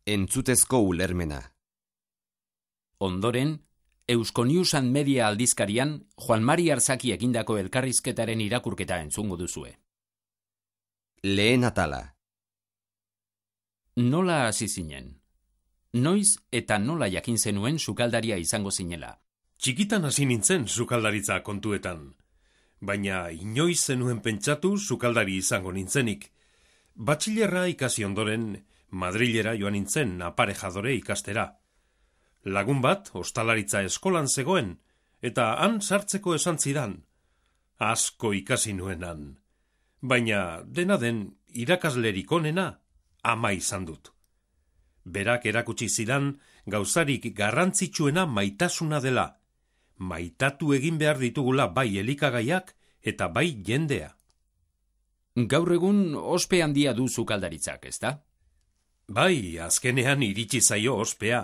Entzutezko ulermena. Ondoren, Eusko News and Media aldizkarian Juan Mari Arzaki egindako elkarrizketaren irakurketa entzungo duzue. Lehen atala. Nola hasi zinen? Noiz eta nola jakin zenuen sukaldaria izango zinela? Txikitan hasi nintzen sukaldaritza kontuetan. Baina inoiz zenuen pentsatu sukaldari izango nintzenik. Batxilerra ikasi ondoren, Madrilera joan nintzen aparejadore ikastera. Lagun bat ostalaritza eskolan zegoen, eta han sartzeko esan zidan. Asko ikasi nuenan. Baina dena den irakaslerik onena ama izan dut. Berak erakutsi zidan gauzarik garrantzitsuena maitasuna dela. Maitatu egin behar ditugula bai elikagaiak eta bai jendea. Gaur egun ospe handia du sukaldaritzak, ezta? Bai, azkenean iritsi zaio ospea.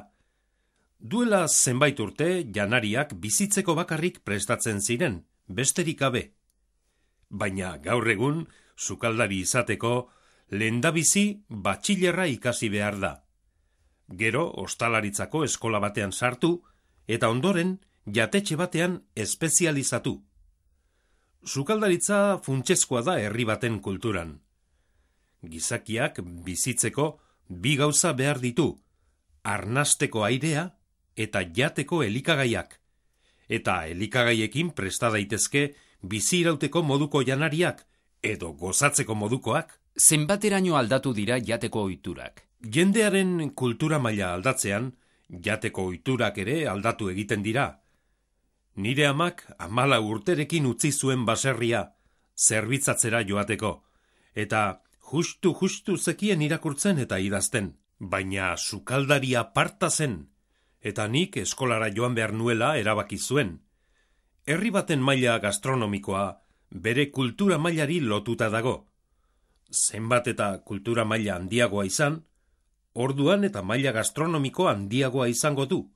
Duela zenbait urte janariak bizitzeko bakarrik prestatzen ziren, besterik gabe. Baina gaur egun sukaldari izateko lehendabizi batxilerra ikasi behar da. Gero ostalaritzako eskola batean sartu eta ondoren jatetxe batean espezializatu. Sukaldaritza funtsezkoa da herri baten kulturan. Gizakiak bizitzeko bi gauza behar ditu, arnasteko airea eta jateko elikagaiak. Eta elikagaiekin presta daitezke bizirauteko moduko janariak edo gozatzeko modukoak. Zenbateraino aldatu dira jateko ohiturak? Jendearen kultura maila aldatzean, jateko ohiturak ere aldatu egiten dira. Nire amak 14 urterekin utzi zuen baserria, zerbitzatzera joateko, eta justu zekien irakurtzen eta idazten, baina sukaldaria parta zen, eta nik eskolara joan behar nuela erabaki zuen. Herri baten maila gastronomikoa bere kultura mailari lotuta dago. Zenbat eta kultura maila handiagoa izan, orduan eta maila gastronomiko handiagoa izango du.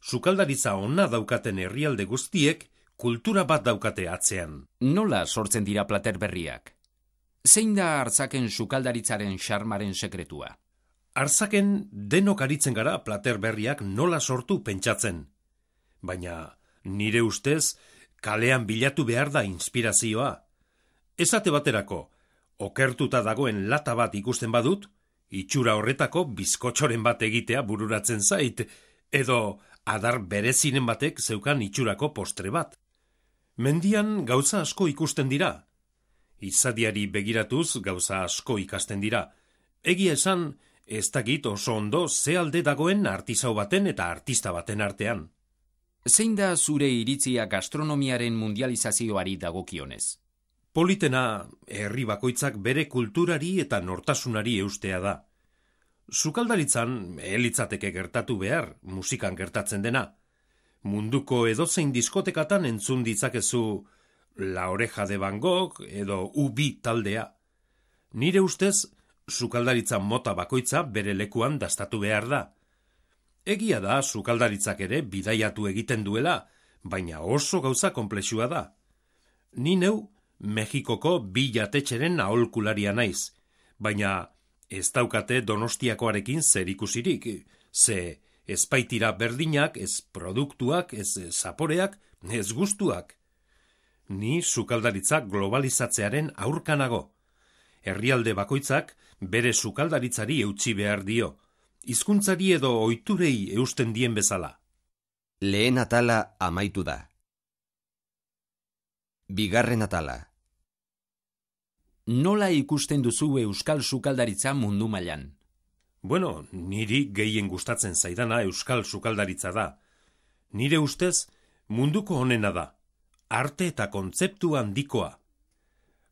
Sukaldaritza ona daukaten herrialde guztiek kultura bat daukate atzean. Nola sortzen dira plater berriak? Zein da Arzaken sukaldaritzaren xarmaren sekretua? Arzaken denok aritzen gara plater berriak nola sortu pentsatzen. Baina nire ustez kalean bilatu behar da inspirazioa. Esate baterako, okertuta dagoen lata bat ikusten badut, itxura horretako bizkotxoren bat egitea bururatzen zait, edo adar berezinen batek zeukan itxurako postre bat. Mendian gauza asko ikusten dira. Izadiari begiratuz gauza asko ikasten dira. Egia esan, ez dakit oso ondo ze alde dagoen artisau baten eta artista baten artean. Zein da zure iritzia gastronomiaren mundializazioari dagokionez? Politena herri bakoitzak bere kulturari eta nortasunari eustea da. Sukaldaritzan elitzateke gertatu behar, musikan gertatzen dena. Munduko edozein diskotekatan entzun ditzakezu La Oreja de Van Gogh edo U2 taldea. Nire ustez, sukaldaritza mota bakoitza bere lekuan dastatu behar da. Egia da sukaldaritzak ere bidaiatu egiten duela, baina oso gauza konplexua da. Ni neu Mexikoko bi jatetxeren aholkularia naiz, baina ez daukate Donostiakoarekin zer ikusirik, ze ez baitira berdinak, ez produktuak, ez zaporeak, ez gustuak. Ni sukaldaritza globalizatzearen aurkanago. Herrialde bakoitzak bere sukaldaritzari eutsi behar dio, hizkuntzari edo ohiturei eusten dien bezala. Lehen atala amaitu da. Bigarren atala. Nola ikusten duzu euskal sukaldaritza mundu mailan? Bueno, niri gehien gustatzen zaidana euskal sukaldaritza da. Nire ustez, munduko onena da. Arte eta kontzeptu handikoa.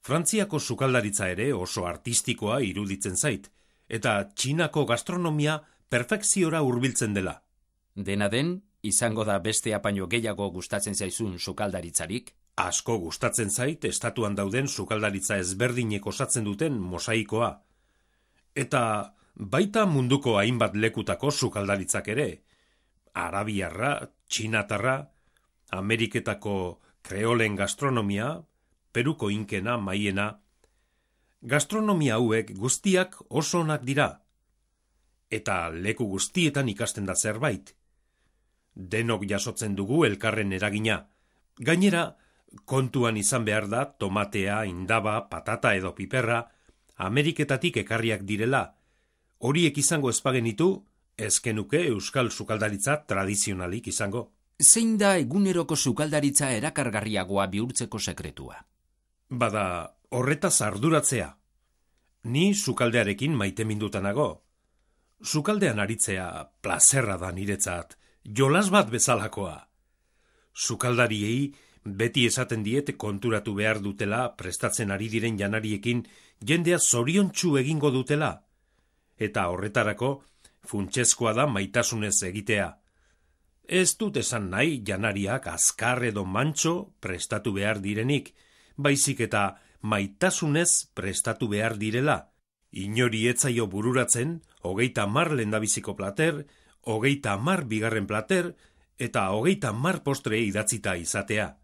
Frantziako sukaldaritza ere oso artistikoa iruditzen zait, eta Txinako gastronomia perfekziora hurbiltzen dela. Dena den, izango da beste apaino gehiago gustatzen zaizun sukaldaritzarik? Asko gustatzen zait estatuan dauden sukaldaritza ezberdinek osatzen duten mosaikoa. Eta baita munduko hainbat lekutako sukaldaritzak ere. Arabiarra, txinatarra, Ameriketako kreolen gastronomia, Peruko inkena, maiena. Gastronomia hauek guztiak oso onak dira. eta leku guztietan ikasten da zerbait. Denok jasotzen dugu elkarren eragina. Gainera, kontuan izan behar da tomatea, indaba, patata edo piperra Ameriketatik ekarriak direla. Horiek izango ezpagenitu, ezkenuke euskal sukaldaritza tradizionalik izango. Zein da eguneroko sukaldaritza erakargarriagoa bihurtzeko sekretua? Bada, horretaz arduratzea. Ni sukaldearekin maitemindutanago. Sukaldean aritzea plazerra da niretzat, jolas bat bezalakoa. Sukaldariei beti esaten diet konturatu behar dutela prestatzen ari diren janariekin jendea zoriontsu egingo dutela. Eta horretarako funtsezkoa da maitasunez egitea. Ez dut esan nahi janariak azkar edo mantso prestatu behar direnik, baizik eta maitasunez prestatu behar direla. Inori etzaio bururatzen, 30 lehendabiziko plater, 30 bigarren plater, eta 30 postre idatzita izatea.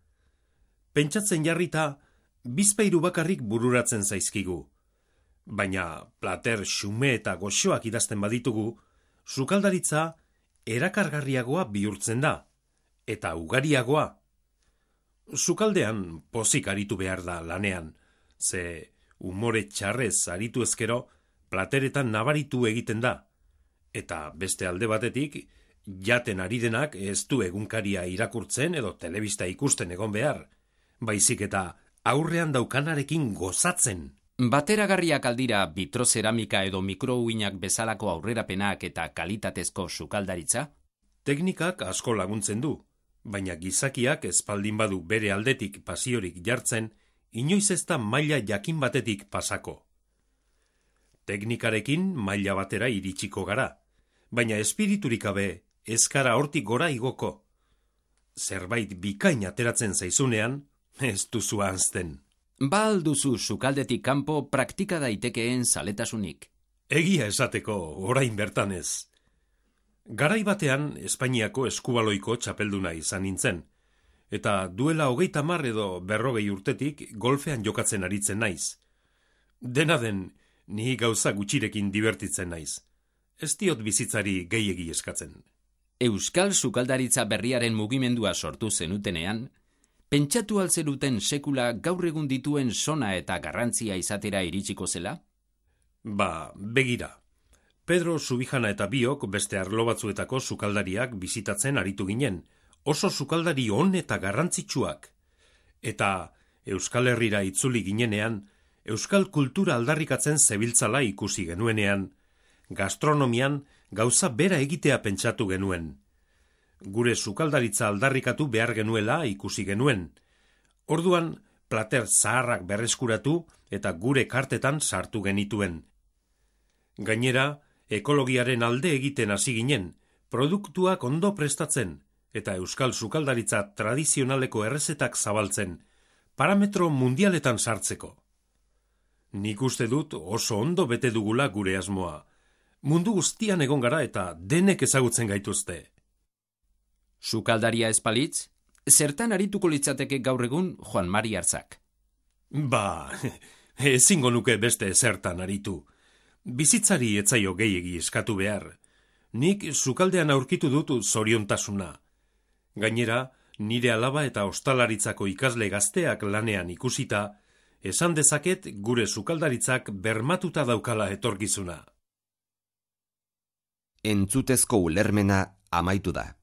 Pentsatzen jarrita, bizpahiru bakarrik bururatzen zaizkigu. Baina plater xume eta goxoak idazten baditugu, sukaldaritza erakargarriagoa bihurtzen da, eta ugariagoa. Sukaldean pozik aritu behar da lanean, ze umore txarrez aritu ezkero plateretan nabaritu egiten da, eta beste alde batetik, jaten ari denak ez du egunkaria irakurtzen edo telebista ikusten egon behar, baizik eta aurrean daukanarekin gozatzen. Bateragarriak aldira bitrozeramika edo mikrouinak bezalako aurrerapenak eta kalitatezko sukaldaritza? Teknikak asko laguntzen du, baina gizakiak espaldin badu bere aldetik pasiorik jartzen, inoiz ez da maila jakin batetik pasako. Teknikarekin maila batera iritsiko gara, baina espiriturik gabe ez gara hortik gora igoko. Zerbait bikain ateratzen zaizunean, ez duzu ahazten. Ba alduzu sukaldetik kanpo praktika daitekeen zaletasunik? Egia esateko orain bertan ez. Garai batean Espainiako eskubaloiko txapelduna izan nintzen, eta duela 30 edo 40 urtetik golfean jokatzen aritzen naiz. Dena den, ni gauza gutxirekin divertitzen naiz. Ez diot bizitzari gehiegi eskatzen. Euskal sukaldaritza berriaren mugimendua sortu zenutenean, pentsatu altzeruten sekula gaur egun dituen sona eta garrantzia izatera iritsiko zela? Ba, begira. Pedro Subijana eta biok beste arlo batzuetako sukaldariak bisitatzen aritu ginen, oso sukaldari on eta garrantzitsuak. Eta Euskal Herrira itzuli ginenean, euskal kultura aldarrikatzen zebiltzala ikusi genuenean, gastronomian gauza bera egitea pentsatu genuen. Gure sukaldaritza aldarrikatu behar genuela ikusi genuen. Orduan, plater zaharrak berreskuratu eta gure kartetan sartu genituen. Gainera, ekologiaren alde egiten hasi ginen, produktuak ondo prestatzen, eta euskal sukaldaritza tradizionaleko errezetak zabaltzen, parametro mundialetan sartzeko. Nik uste dut oso ondo bete dugula gure asmoa. Mundu guztian egon gara eta denek ezagutzen gaituzte. Sukaldaria espalitz, zertan arituko litzateke gaur egun Juan Mari Arzak? Ba, ezingo nuke beste zertan aritu. Bizitzari etzaio gehiegi eskatu behar. Nik sukaldean aurkitu dut zoriontasuna. Gainera, nire alaba eta ostalaritzako ikasle gazteak lanean ikusita, esan dezaket gure sukaldaritzak bermatuta daukala etorkizuna. Entzutezko ulermena amaitu da.